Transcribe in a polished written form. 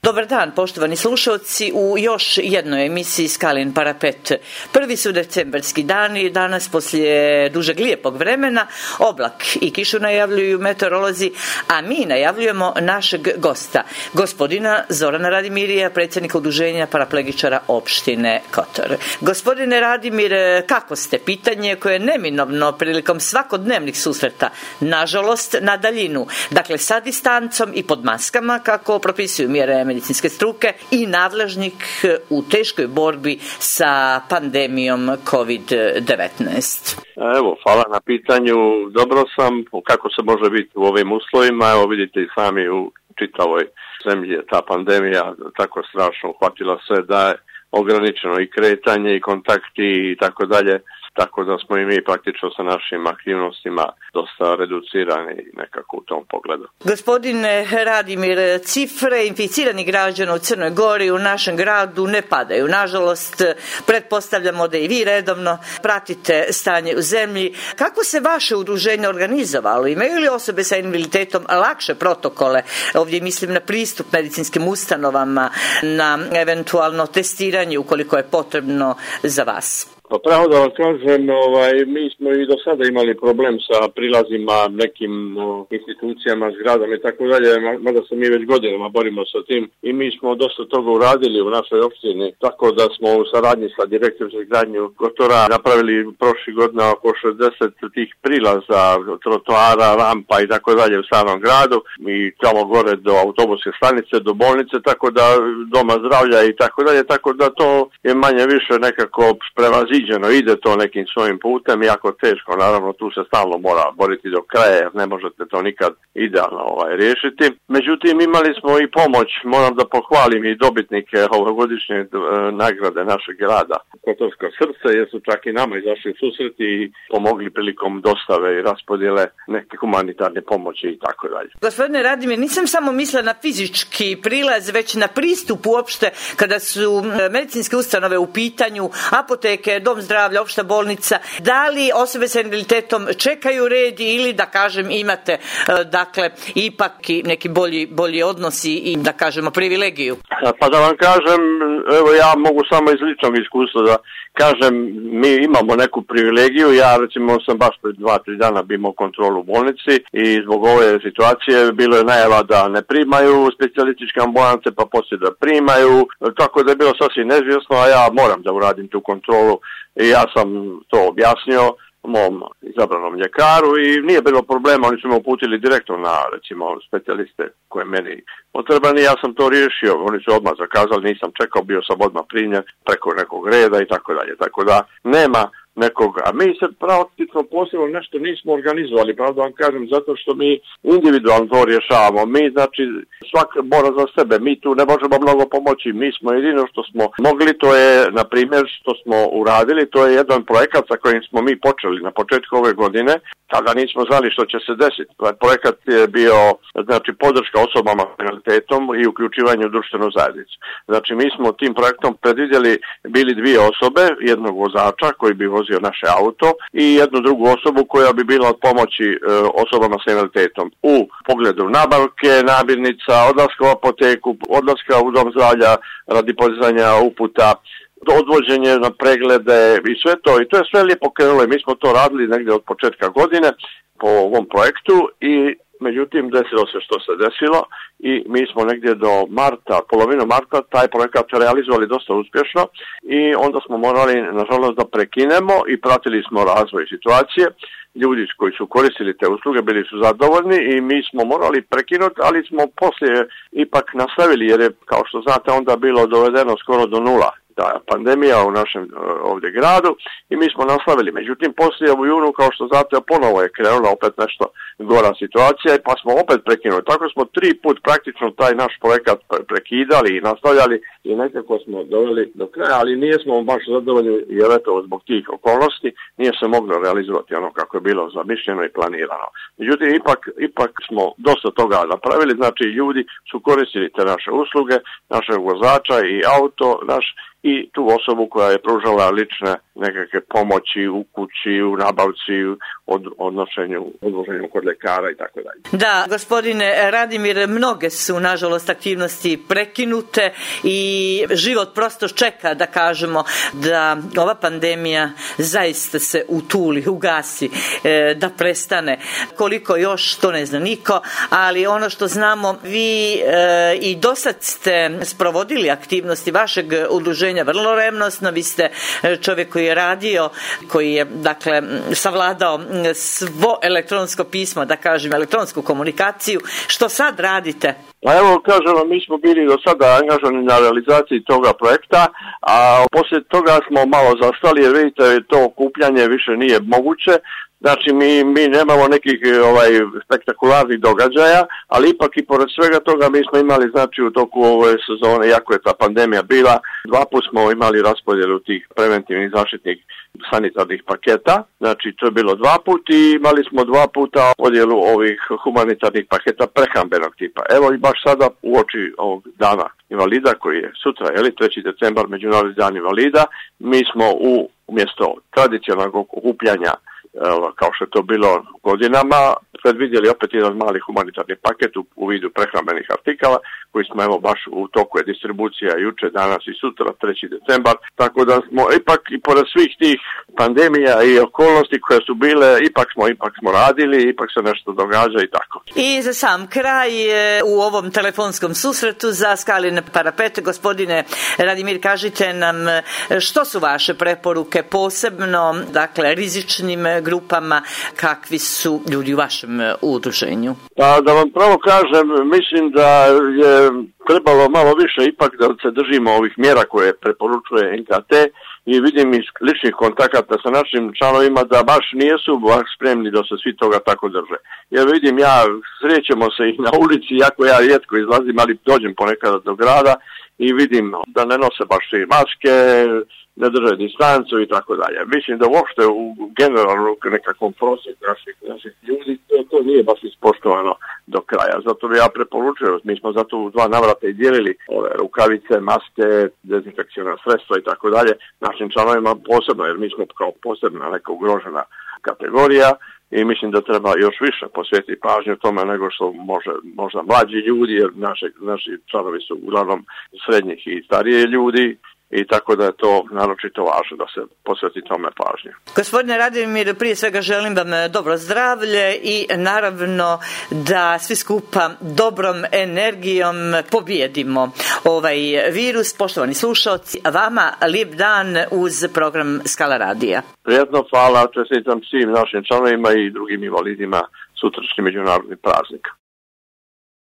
Dobar dan, poštovani slušalci, u još jednoj emisiji Skalin parapet. Prvi su decembarski dani, danas poslije dužeg lijepog vremena, oblak i kišu najavljuju meteorolozi, a mi najavljujemo našeg gosta, gospodina Zorana Radimirija, predsjednika udruženja paraplegičara opštine Kotor. Gospodine Radimir, kako ste? Pitanje koje je neminovno prilikom svakodnevnih susreta, nažalost na daljinu, dakle sa distancom i pod maskama, kako propisuju mjere medicinske struke i nadležnik u teškoj borbi sa pandemijom COVID-19. Evo, hvala na pitanju. Dobro sam. Kako se može biti u ovim uslovima? Evo, vidite i sami u čitavoj zemlji je ta pandemija tako strašno uhvatila sve da je ograničeno i kretanje i kontakti i tako dalje. Tako da smo i mi praktično sa našim aktivnostima dosta reducirani nekako u tom pogledu. Gospodine Radimir, cifre inficiranih građana u Crnoj Gori u našem gradu ne padaju. Nažalost, pretpostavljamo da i vi redovno pratite stanje u zemlji. Kako se vaše udruženje organizovalo? Imaju li osobe sa invaliditetom lakše protokole? Ovdje mislim na pristup medicinskim ustanovama, na eventualno testiranje ukoliko je potrebno za vas. Pa pravo da vam kažem, mi smo i do sada imali problem sa prilazima nekim institucijama, zgradama i tako dalje, mada se mi već godinama borimo sa tim i mi smo dosta toga uradili u našoj opštini, tako da smo u saradnji sa direktorom za izgradnju Kotora napravili prošli godina oko 60 tih prilaza, trotoara, rampa i tako dalje u samom gradu i tamo gore do autobuske stanice, do bolnice, tako da doma zdravlja i tako dalje, tako da to je manje više nekako prevaziđeno. Ide to nekim svojim putem, jako teško, naravno tu se stalno mora boriti do kraja jer ne možete to nikad idealno riješiti. Međutim, imali smo i pomoć, moram da pohvalim i dobitnike ovogodišnje nagrade našeg grada Kotorsko srce, jer su čak i nama izašli u susret i pomogli prilikom dostave i raspodjele neke humanitarne pomoći i tako dalje. Gospodine Radimir, nisam samo mislila na fizički prilaz, već na pristup uopšte kada su medicinske ustanove u pitanju, apoteke, dom zdravlja, opšta bolnica. Da li osobe sa invaliditetom čekaju red ili da kažem imate dakle ipak i neki bolji odnosi i da kažemo privilegiju? Pa da vam kažem, evo ja mogu samo iz ličnog iskustva da kažem, mi imamo neku privilegiju. Ja recimo sam baš pred 2-3 dana imao kontrolu u bolnici i zbog ove situacije bilo je najava da ne primaju specijalističke ambulance, pa poslije da primaju, tako da je bilo sasvim neizvjesno, a ja moram da uradim tu kontrolu i ja sam to objasnio mom izabranom ljekaru i nije bilo problema, oni su me uputili direktno na recimo specijaliste koje meni potreban i ja sam to riješio, oni su odmah zakazali, nisam čekao, bio sam odmah primljen preko nekog reda i tako dalje, tako da nema nekog, a mi se praktično posebno nešto nismo organizovali, pravo da vam kažem, zato što mi individualno to rješavamo, mi znači svak mora za sebe, mi tu ne možemo mnogo pomoći, mi smo jedino što smo mogli, to je na primjer što smo uradili, to je jedan projekat sa kojim smo mi počeli na početku ove godine, tada nismo znali što će se desiti. Projekat je bio znači podrška osobama s invaliditetom i uključivanje u društvenu zajednicu. Znači mi smo tim projektom predvidjeli bili dvije osobe, jednog vozača koji bi vozio naše auto i jednu drugu osobu koja bi bila od pomoći osobama s invaliditetom u pogledu nabavke, namirnica, odlaska u apoteku, odlaska u dom zdravlja radi podizanja uputa, odvođenje na preglede i sve to. I to je sve lijepo krenulo i mi smo to radili negdje od početka godine po ovom projektu i međutim desilo se što se desilo i mi smo negdje do marta, polovinu marta taj projekat realizovali dosta uspješno i onda smo morali nažalost da prekinemo i pratili smo razvoj situacije. Ljudi koji su koristili te usluge bili su zadovoljni i mi smo morali prekinuti, ali smo poslije ipak nastavili jer je, kao što znate, onda bilo dovedeno skoro do nula ta pandemija u našem ovdje gradu i mi smo nastavili. Međutim, poslije u junu, kao što znate, ponovo je krenula opet nešto gora situacija pa smo opet prekinuli. Tako smo 3 put praktično taj naš projekat prekidali i nastavljali i nekako smo doveli do kraja, ali nismo baš zadovoljni jer eto zbog tih okolnosti nije se moglo realizovati ono kako je bilo zamišljeno i planirano. Međutim, ipak smo dosta toga napravili, znači ljudi su koristili te naše usluge, našeg vozača i auto naš i tu osobu koja je pružala lične nekakve pomoći u kući, u nabavci, odvoženju kod lekara i tako dalje. Da, gospodine Radimir, mnoge su nažalost aktivnosti prekinute i život prosto čeka, da kažemo, da ova pandemija zaista se utuli, ugasi, da prestane. Koliko još, to ne zna niko, ali ono što znamo, vi i dosad ste sprovodili aktivnosti vašeg udruženja vrlo revnosno. Vi ste čovjek koji je radio, koji je, dakle, savladao svo elektronsko pismo, da kažem, elektronsku komunikaciju. Što sad radite? Pa evo, kažem, mi smo bili do sada angažovani na realizaciji toga projekta, a poslije toga smo malo zastali, jer vidite, to okupljanje više nije moguće. Znači, mi nemamo nekih spektakularnih događaja, ali ipak i pored svega toga mi smo imali, znači, u toku ove sezone, iako je ta pandemija bila, 2 puta smo imali raspodjelu tih preventivnih zaštitnih sanitarnih paketa, znači to je bilo 2 puta i imali smo 2 puta podjelu ovih humanitarnih paketa prehrambenog tipa. Evo i baš sada uoči ovog dana invalida koji je sutra, 3. decembar, Međunarodni dan invalida, mi smo umjesto tradicionalnog okupljanja, kao što je to bilo godinama, predvidjeli opet jedan mali humanitarni paket u vidu prehrambenih artikala, koji smo evo baš u toku je distribucija juče, danas i sutra, 3. decembar, tako da smo ipak i pored svih tih pandemija i okolnosti koje su bile, ipak smo radili, ipak se nešto događa i tako. I za sam kraj u ovom telefonskom susretu za Skalin parapet, gospodine Radimir, kažite nam što su vaše preporuke posebno, dakle, rizičnim grupama, kakvi su ljudi u vašem udruženju? Pa da vam pravo kažem, mislim da je trebalo malo više ipak da se držimo ovih mjera koje preporučuje NKT i vidim iz ličnih kontakata sa našim članovima da baš nisu spremni da se svi toga tako drže. Jer vidim, srećemo se i na ulici, iako ja rijetko izlazim, ali dođem ponekada do grada i vidim da ne nose baš svi maske, ne drže distancu i tako dalje. Mislim da uopšte u generalnom nekakvom prosjeku naših ljudi to nije baš ispoštovano do kraja. Zato bi ja preporučio, mi smo zato u 2 navrata i dijelili ove rukavice, maske, dezinfekcijona sredstva i tako dalje našim članovima posebno, jer mi smo kao posebna neka ugrožena kategorija i mislim da treba još više posvetiti pažnju tome nego što možda mlađi ljudi, jer naši članovi su uglavnom srednjih i starije ljudi, i tako da je to naročito važno da se posveti tome pažnje. Gospodine Radimir, prije svega želim vam dobro zdravlje i naravno da svi skupa dobrom energijom pobijedimo ovaj virus. Poštovani slušalci, vama lijep dan uz program Skala radija. Prijetno, hvala, čestitam svim našim članovima i drugim invalidima sutrašnji međunarodni praznik.